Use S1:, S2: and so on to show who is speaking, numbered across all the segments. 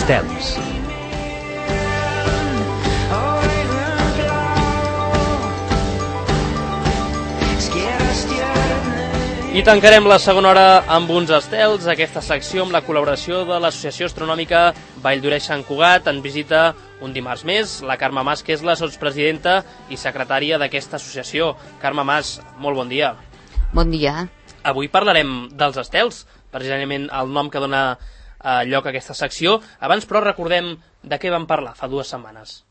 S1: Estels.
S2: I tancarem la segona hora amb uns estels, aquesta secció amb la col·laboració de l'Associació Astronòmica Vall d'Oreix Sant Cugat. En visita un dimarts més la Carme Mas, que és la sotspresidenta i secretària d'aquesta associació. Carme Mas, molt bon dia.
S3: Bon dia.
S2: Avui parlarem dels estels, precisament el nom que dona lloc a aquesta secció. Abans, però, recordem de què vam parlar fa 2 setmanes.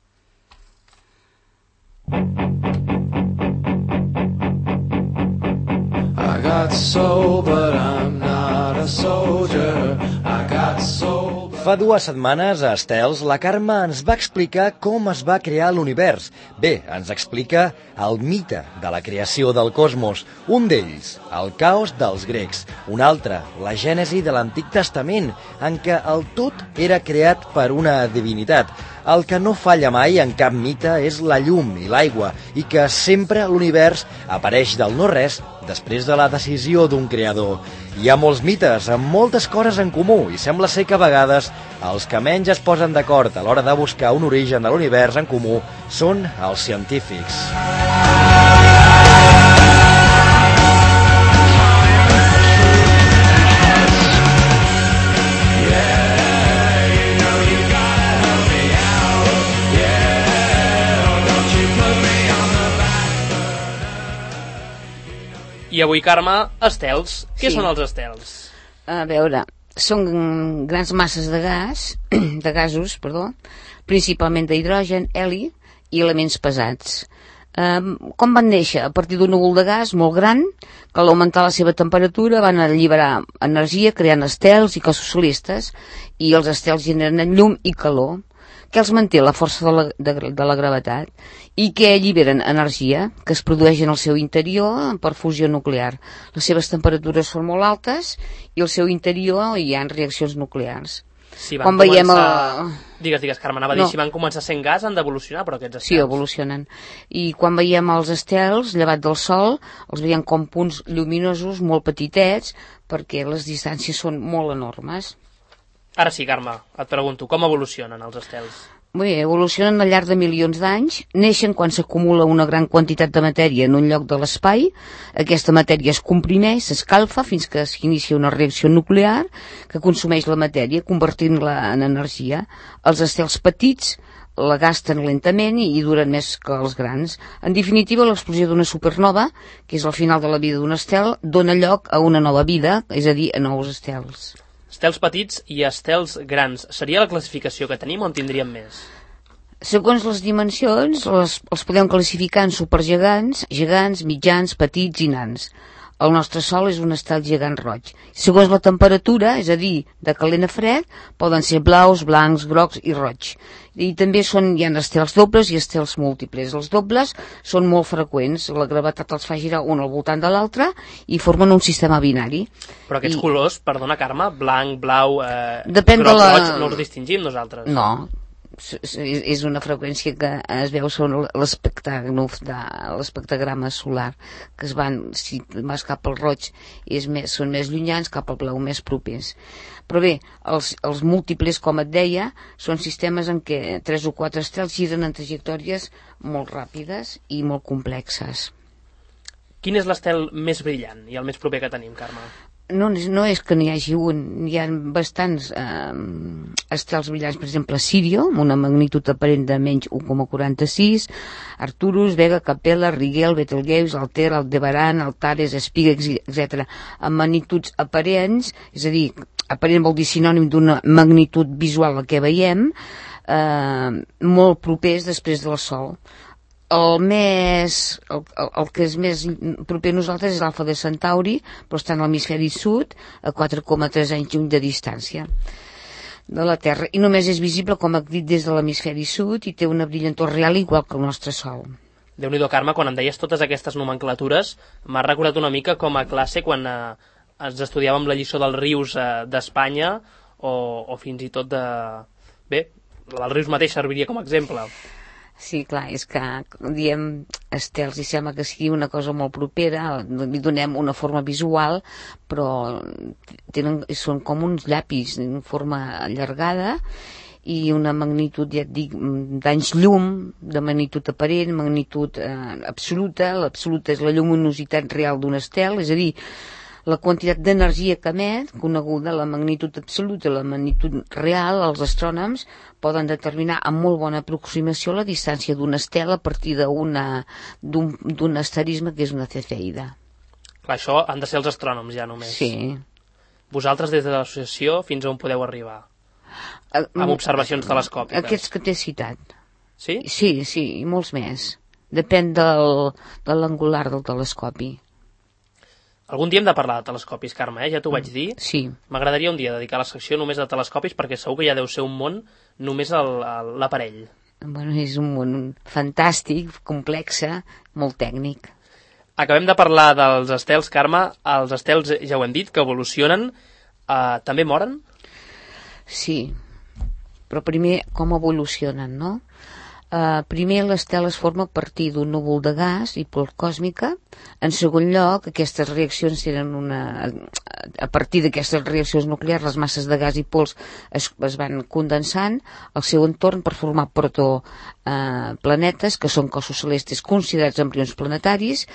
S4: I got soul, but I'm not a soldier. I got soul.
S5: Fa 2 setmanes, a Estels, la Carme ens va explicar com es va crear l'univers. Bé, ens explica el mite de la creació del cosmos. Un d'ells, el caos dels grecs. Un altre, la gènesi de l'Antic Testament, en què el tot era creat per una divinitat. El que no falla mai en cap mite és la llum i l'aigua, i que sempre l'univers apareix del no-res després de la decisió d'un creador. Hi ha molts mites amb moltes coses en comú i sembla ser que a vegades els que menys es posen d'acord a l'hora de buscar un origen de l'univers en comú són els científics.
S2: I avui, Carme, estels. Què són els estels?
S3: A veure, són grans masses de gasos, principalment d'hidrogen, heli i elements pesats. Com van néixer? A partir d'un núvol de gas molt gran, que al augmentar la seva temperatura van alliberar energia creant estels i cossos celestes, i els estels generen llum i calor. Què els manté? La força de la gravetat. I què alliberen? Energia, que es produeix en el seu interior per fusió nuclear. Les seves temperatures són molt altes i al seu interior hi ha reaccions nuclears.
S2: Si van començar... Digues, Carme, anava a dir, si van començar sent gas han d'evolucionar, però aquests estels...
S3: Sí, evolucionen. I quan veiem els estels, llevat del Sol, els veiem com punts lluminosos molt petitets, perquè les distàncies són molt enormes.
S2: Ara sí, Carme, et pregunto, com evolucionen els estels?
S3: Bé, evolucionen al llarg de milions d'anys, neixen quan s'acumula una gran quantitat de matèria en un lloc de l'espai, aquesta matèria es comprimeix, s'escalfa fins que s'inicia una reacció nuclear que consumeix la matèria, convertint-la en energia. Els estels petits la gasten lentament i duren més que els grans. En definitiva, l'explosió d'una supernova, que és el final de la vida d'un estel, dona lloc a una nova vida, és a dir, a nous estels.
S2: Estels petits i estels grans. Seria la classificació que tenim o en tindríem més?
S3: Segons les dimensions, els podem classificar en supergegants, gegants, mitjans, petits i nans. El nostre Sol és un estel gegant roig. Segons la temperatura, és a dir, de calent a fred, poden ser blaus, blancs, grocs i roig. I també hi ha estels dobles i estels múltiples. Els dobles són molt freqüents, la gravetat els fa girar un al voltant de l'altre i formen un sistema binari.
S2: Però aquests colors, perdona Carme, blanc, blau,
S3: depèn
S2: groc, roig, no els distingim nosaltres?
S3: No, és una freqüència que es veu sobre l'espectagrama solar, que si vas cap al roig són més llunyans, cap al blau més propers. Però bé, els múltiples, com et deia, són sistemes en què 3 o 4 estels giren en trajectòries molt ràpides i molt complexes.
S2: Quin és l'estel més brillant i el més proper que tenim, Carme?
S3: No és que n'hi hagi un, hi ha bastants estels brillants, per exemple Sirio, amb una magnitud aparent de menys 1,46, Arcturus, Vega, Capella, Rigel, Betelgeuse, Altair, Aldebaran, Antares, Spica, etc. amb magnituds aparents, és a dir, aparent vol dir sinònim d'una magnitud visual a què veiem, molt propers després del Sol. El que és més proper a nosaltres és l'Alfa de Centauri, però està en l'hemisferi sud, a 4,3 anys lluny de distància de la Terra, i només és visible, com he dit, des de l'hemisferi sud i té una brillantor real igual que el nostre Sol.
S2: Déu-n'hi-do, Carme, quan em deies totes aquestes nomenclatures, m'ha recordat una mica com a classe quan ens estudiàvem la lliçó dels rius d'Espanya o fins i tot de... Bé, els rius mateix serviria com a exemple.
S3: Sí, clar, és que diem estels i sembla que sigui una cosa molt propera, li donem una forma visual, però són com uns llapis en forma allargada i una magnitud, ja et dic, d'anys llum, de magnitud aparent, magnitud absoluta. L'absoluta és la lluminositat real d'un estel, és a dir, la quantitat d'energia que emet, coneguda la magnitud absoluta i la magnitud real, els astrònoms poden determinar amb molt bona aproximació la distància d'un estel a partir d'un asterisme que és una cefeida.
S2: Clar, això han de ser els astrònoms ja només.
S3: Sí.
S2: Vosaltres des de l'associació fins on podeu arribar? Amb observacions telescòpiques.
S3: Aquests que t'he citat.
S2: Sí?
S3: Sí, i molts més. Depèn de l'angular del telescopi.
S2: Algun dia hem de parlar de telescopis, Carme, ja t'ho vaig dir.
S3: Sí.
S2: M'agradaria un dia dedicar la secció només a telescopis perquè segur que ja deu ser un món només l'aparell.
S3: Bueno, és un món fantàstic, complex, molt tècnic.
S2: Acabem de parlar dels estels, Carme. Els estels, ja ho hem dit, que evolucionen. També moren?
S3: Sí, però primer com evolucionen, no? Primer l'estel es forma a partir d'un núvol de gas i pols còsmica. En segon lloc, aquestes reaccions tenen a partir d'aquestes reaccions nuclears, les masses de gas i pols es van condensant al seu entorn per formar protoplanetes, que són cossos celestes considerats embrions planetaris,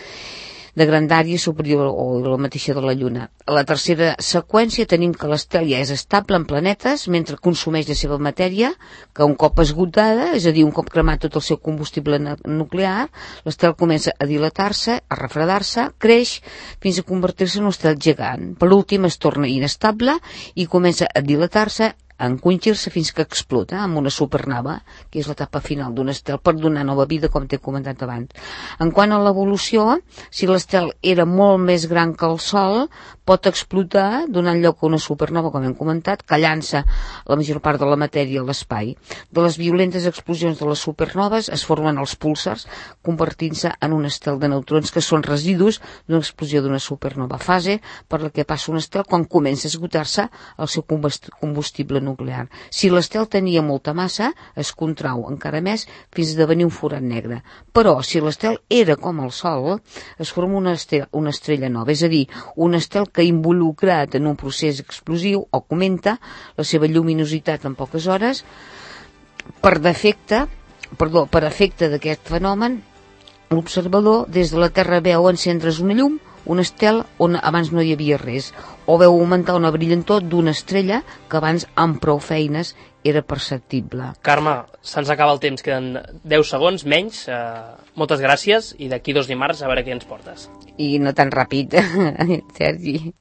S3: de grandària superior o la mateixa de la Lluna. A la tercera seqüència tenim que l'estel ja és estable en planetes mentre consumeix la seva matèria, que un cop esgotada, és a dir, un cop cremat tot el seu combustible nuclear, l'estel comença a dilatar-se, a refredar-se, creix fins a convertir-se en un estel gegant. Per últim es torna inestable i comença a dilatar-se, a encongir-se fins que explota amb una supernova, que és l'etapa final d'un estel per donar nova vida, com t'he comentat abans. En quant a l'evolució, si l'estel era molt més gran que el Sol, pot explotar donant lloc a una supernova, com hem comentat, que llança la major part de la matèria a l'espai. De les violentes explosions de les supernoves es formen els púlsars, convertint-se en un estel de neutrons que són residus d'una explosió d'una supernova, fase per la que passa un estel quan comença a esgotar-se el seu combustible nuclear. Si l'estel tenia molta massa, es contrau encara més fins a esdevenir un forat negre. Però si l'estel era com el Sol, es forma una estrella nova, és a dir, un estel que involucrat en un procés explosiu augmenta la seva lluminositat en poques hores. Per efecte d'aquest fenomen, l'observador des de la Terra veu encendre's una llum, un estel on abans no hi havia res, o veu augmentar una brillantor d'una estrella que abans amb prou feines era perceptible.
S2: Carme, se'ns acaba el temps, queden 10 segons, menys. Moltes gràcies i d'aquí 2 dimarts a veure què ens portes.
S3: I no tan ràpid, Sergi.